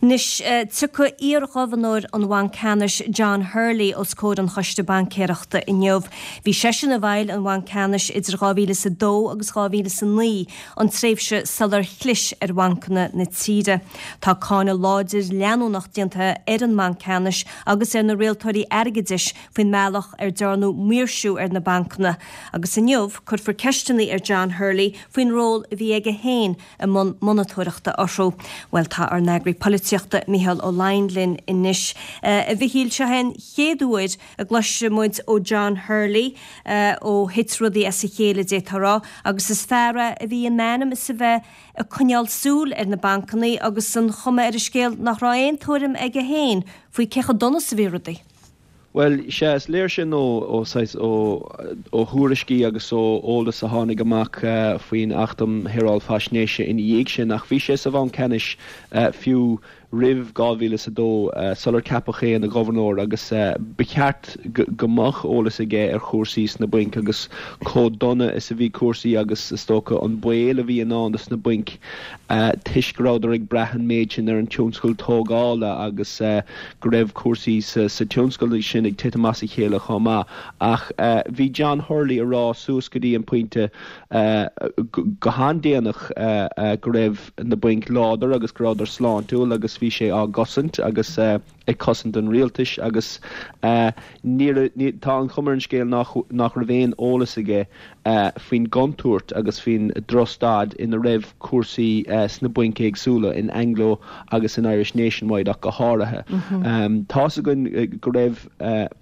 Anois, tiocfaidh iarghobharnóir an Bhainc Ceannais John Hurley os comhair an Choiste Baincéireachta inniu. Bhí seisean i bhfeighil an Bhainc Ceannais idir 2002 agus 2009, an tréimhse sular chlis ar bhancanna na tíre. Tá cáineadh láidir leanúnach déanta ar an mBanc Ceannais agus ar na rialtóirí airgeadais faoin mbealach ar dearnadh maoirsiú ar na bancanna agus inniu cuirfear ceisteanna ar John Hurley faoin ról a bhí aige féin i mbun monatóireachta orthu. Bhuel, tá ár n-eagraí polaitíochta, Micheál Ó Laighin linn anois. A Mhichíl, seo é an chéad uair a gcloisfidh muid ó John Hurley ó thit rudaí as a chéile, d'fhéadfá a rá, agus is fear é a bhí in ainm is a bheith ag coinneáil súil ar na bancanna agus an chuma ar an scéal nach raibh aon tuairim aige féin faoi cé chomh dona is a bhí rudaí. Bhuel, sea, is léir sin ó, ó saghas, ó, ó thuairiscí agus ó eolas a tháinig amach faoin Acht um Shaoráil Faisnéise ina dhiaidh sin, ach bhí sé sa Bhanc Ceannais fiú roimh 2002, sular ceapadh é ina ghobharnóir, agus ba cheart go mbeadh eolas aige ar chúrsaí sna bainc agus chomh dona is a bhí cúrsaí agus, is dócha, an baol a bhí i ndán dos na bainc toisc go rabhadar ag brath an méid sin ar an tionscal tógála agus go raibh cúrsaí sa tionscal sin ag titim as a chéile chomh maith. Ach bhí John Hurley ag rá suas go dtí an pointe go han-déanach go raibh na bainc láidir agus go rabhadar sláintiúil agus bhí sé á gcosaint agus ag cosaint an rialtais agus ní, tá an chuma ar an scéal nach raibh aon eolas aige faoin gcontúirt agus faoin drochstaid ina raibh cúrsaí sna bainc éagsúla, in Anglo agus in Irish Nationwide ach go háirithe. Tá's againn go raibh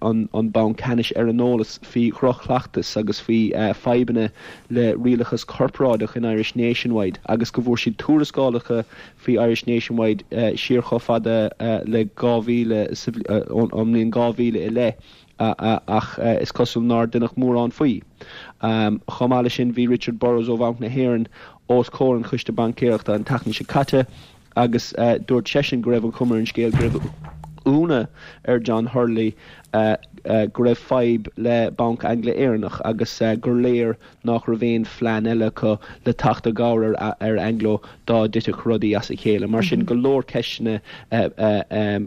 an Banc Ceannais ar an eolas faoi dhroch-chleachtas agus faoi fadhbanna le rialachas corparáideach in Irish Nationwide agus go bhfuair siad tuarascálacha faoi Irish Nationwide siar chomh fada le 2000, ón mbliain 2000 i leith ach is cosúil nár deineadh mórán faoi. Chomh maith leis sin bhí Richard Burrows ó Bhanc na hÉireann os comhair an Choiste Baincéireachta an tseachtain seo caite agus dúirt seisean go raibh an chuma ar an scéal go raibh ionadh ar John Hurley go raibh fadhb le Banc Angla-Éireannach agus gur léir nach raibh aon phlean eile acu le teacht i gcabhair ar Anglo dá dtitfeadh rudaí as a chéile. Mar sin, go leor ceisteanna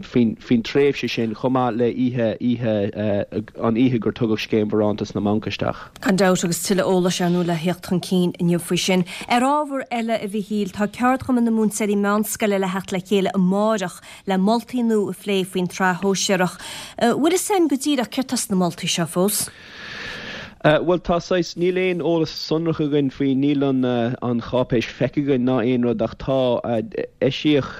faoin tréimhse sin, chomh maith le oíche, oíche, an oíche gur tugadh Scéim Bharántas na mBanc isteach. Gan dabht, agus tuilleadh eolais, ar ndóigh, le theacht chun cinn inniu faoi sin. Ar ábhar eile, a Mhichíl, tá Ceardchumann na Múinteoirí Meánscoile le theacht le chéile amáireach le moltaí nua a phlé faoin tsraith shóisearach. Bhfuil fhios againn go díreach céard tá sna moltaí seo fós? Bhuel, tá saghas, níl aon eolas sonrach againn faoi, níl an an cháipéis feicthe againn ná aon rud ach tá, eisíodh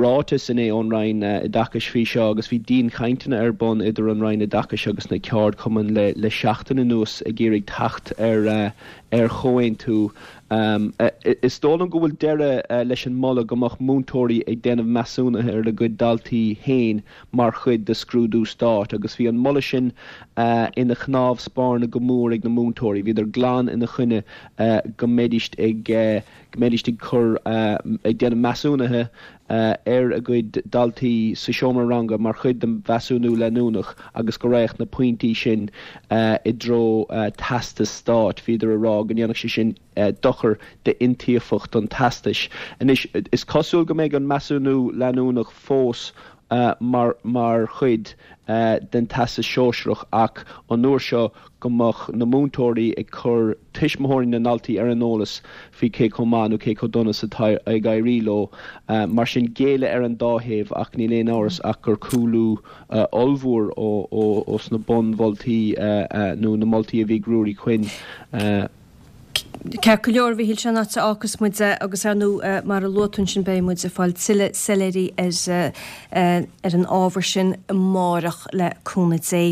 ráiteas inné ón Roinn Oideachais faoi seo agus bhí dianchainteanna ar bun idir an Roinn Oideachais agus na ceardchumainn le le seachtain anuas ag iarraidh teacht ar ar chomhaontú. Is dóigh liom go bhfuil deireadh leis an moladh go mbeadh múinteoirí ag déanamh measúnaithe ar a gcuid daltaí féin mar chuid de scrúdú stáit agus bhí an moladh sin ina chnámh spairne go mór ag na múinteoirí. Bhíodar glan ina choinne go mbeidíst ag go mbeidíst ag cur ag déanamh measúnaithe ar a gcuid daltaí sa seomra ranga mar chuid de mheasúnú leanúnach agus go raghadh na pointí sin i dtreo teastas stáit. Bhíodar ag rá go ndéanfadh sé sin dochar d'iontaofacht an teastais. Anois, is cosúil go mbeidh an measúnú leanúnach fós mar mar chuid den Teastas Sóisearach ach an uair seo go mbeadh na múinteoirí ag cur tuismitheoirí na ndaltaí ar an eolas faoi cé chomh maith nó cé chomh dona is atá ag éirí leo. Mar sin, géilleadh ar an dá thaobh ach níl aon amhras ach gur cúlú ollmhór ó sna bunmholtaí nó na moltaí a bhí ag Ruairí Quinn. Ceart go leor, a Mhichíl, sin an áit a fhágfas muid é agus ar ndóigh mar a luaigh tú ansin beidh muid ag fáil tuilleadh soiléirí ar ar an ábhar sin amárach le cúnamh Dé.